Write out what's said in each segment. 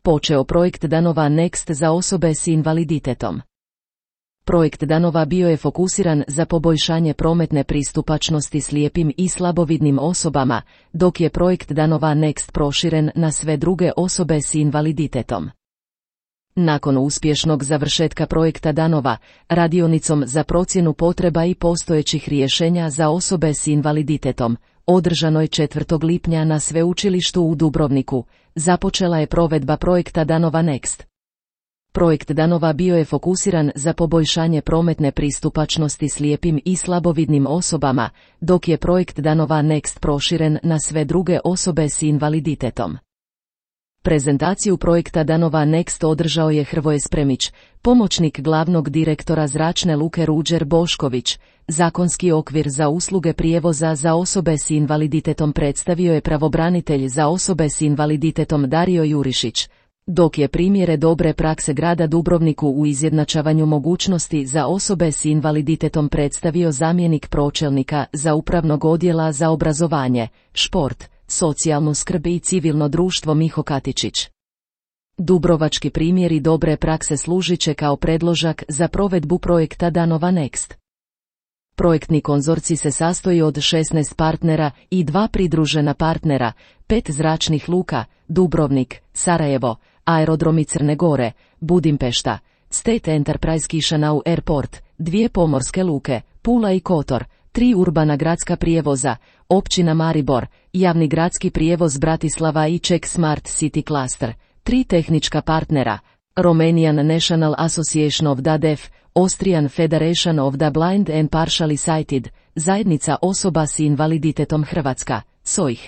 počeo projekt Danova Next za osobe s invaliditetom. Projekt Danova bio je fokusiran za poboljšanje prometne pristupačnosti slijepim i slabovidnim osobama, dok je projekt Danova Next proširen na sve druge osobe s invaliditetom. Nakon uspješnog završetka projekta Danova, radionicom za procjenu potreba i postojećih rješenja za osobe s invaliditetom, održanoj 4. lipnja na Sveučilištu u Dubrovniku, započela je provedba projekta Danova Next. Projekt Danova bio je fokusiran za poboljšanje prometne pristupačnosti slijepim i slabovidnim osobama, dok je projekt Danova Next proširen na sve druge osobe s invaliditetom. Prezentaciju projekta Danova Next održao je Hrvoje Spremić, pomoćnik glavnog direktora Zračne luke Ruđer Bošković. Zakonski okvir za usluge prijevoza za osobe s invaliditetom predstavio je pravobranitelj za osobe s invaliditetom Dario Jurišić, dok je primjere dobre prakse grada Dubrovniku u izjednačavanju mogućnosti za osobe s invaliditetom predstavio zamjenik pročelnika za upravnog odjela za obrazovanje, šport, socijalnu skrb i civilno društvo Miho Katičić. Dubrovački primjeri dobre prakse služit će kao predložak za provedbu projekta Danova Next. Projektni konzorcij se sastoji od 16 partnera i 2 pridružena partnera, 5 zračnih luka, Dubrovnik, Sarajevo, aerodromi Crne Gore, Budimpešta, State Enterprise Chisinau Airport, 2 pomorske luke, Pula i Kotor, 3 urbana gradska prijevoza, općina Maribor, javni gradski prijevoz Bratislava i Czech Smart City Cluster, 3 tehnička partnera, Romanian National Association of the Deaf, Austrian Federation of the Blind and Partially Sighted, zajednica osoba s invaliditetom Hrvatska, SOIH.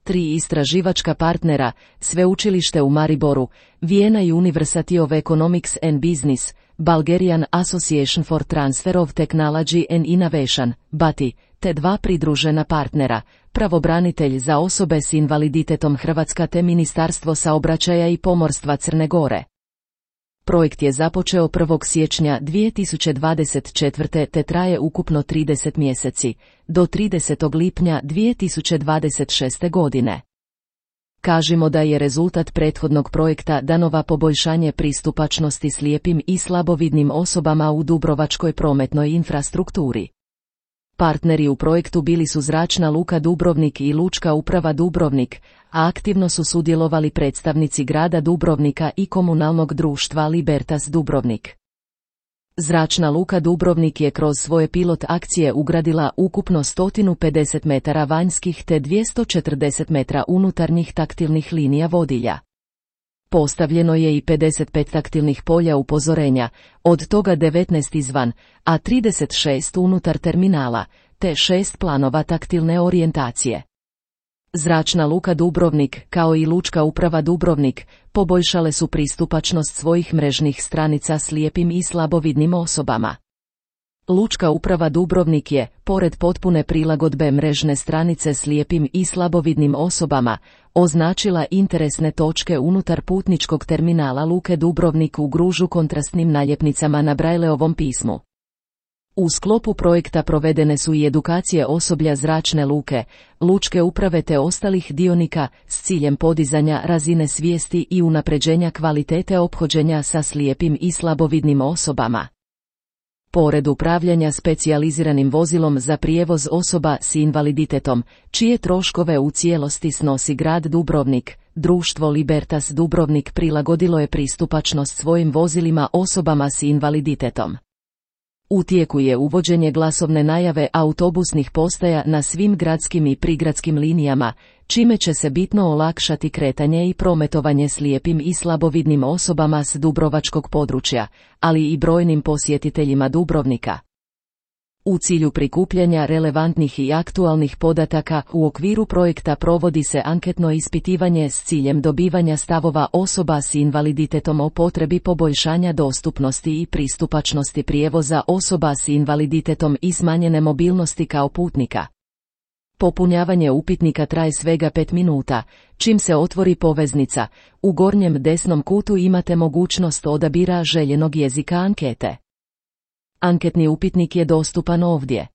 3 istraživačka partnera, Sveučilište u Mariboru, Vienna University of Economics and Business, Bulgarian Association for Transfer of Technology and Innovation, BATI, te 2 pridružena partnera, pravobranitelj za osobe s invaliditetom Hrvatska te Ministarstvo saobraćaja i pomorstva Crne Gore. Projekt je započeo 1. siječnja 2024. te traje ukupno 30 mjeseci, do 30. lipnja 2026. godine. Kažimo da je rezultat prethodnog projekta Danova poboljšanje pristupačnosti slijepim i slabovidnim osobama u dubrovačkoj prometnoj infrastrukturi. Partneri u projektu bili su Zračna luka Dubrovnik i Lučka uprava Dubrovnik, a aktivno su sudjelovali predstavnici grada Dubrovnika i komunalnog društva Libertas Dubrovnik. Zračna luka Dubrovnik je kroz svoje pilot akcije ugradila ukupno 150 metara vanjskih te 240 metra unutarnjih taktilnih linija vodilja. Postavljeno je i 55 taktilnih polja upozorenja, od toga 19 izvan, a 36 unutar terminala, te 6 planova taktilne orijentacije. Zračna luka Dubrovnik, kao i Lučka uprava Dubrovnik, poboljšale su pristupačnost svojih mrežnih stranica slijepim i slabovidnim osobama. Lučka uprava Dubrovnik je, pored potpune prilagodbe mrežne stranice slijepim i slabovidnim osobama, označila interesne točke unutar putničkog terminala Luke Dubrovnik u Gružu kontrastnim naljepnicama na Brajleovom pismu. U sklopu projekta provedene su i edukacije osoblja Zračne luke, Lučke uprave te ostalih dionika s ciljem podizanja razine svijesti i unapređenja kvalitete ophođenja sa slijepim i slabovidnim osobama. Pored upravljanja specijaliziranim vozilom za prijevoz osoba s invaliditetom, čije troškove u cijelosti snosi grad Dubrovnik, društvo Libertas Dubrovnik prilagodilo je pristupačnost svojim vozilima osobama s invaliditetom. U tijeku je uvođenje glasovne najave autobusnih postaja na svim gradskim i prigradskim linijama, čime će se bitno olakšati kretanje i prometovanje slijepim i slabovidnim osobama s dubrovačkog područja, ali i brojnim posjetiteljima Dubrovnika. U cilju prikupljanja relevantnih i aktualnih podataka u okviru projekta provodi se anketno ispitivanje s ciljem dobivanja stavova osoba s invaliditetom o potrebi poboljšanja dostupnosti i pristupačnosti prijevoza osoba s invaliditetom i smanjene mobilnosti kao putnika. Popunjavanje upitnika traje svega 5 minuta, čim se otvori poveznica, u gornjem desnom kutu imate mogućnost odabira željenog jezika ankete. Anketni upitnik je dostupan ovdje.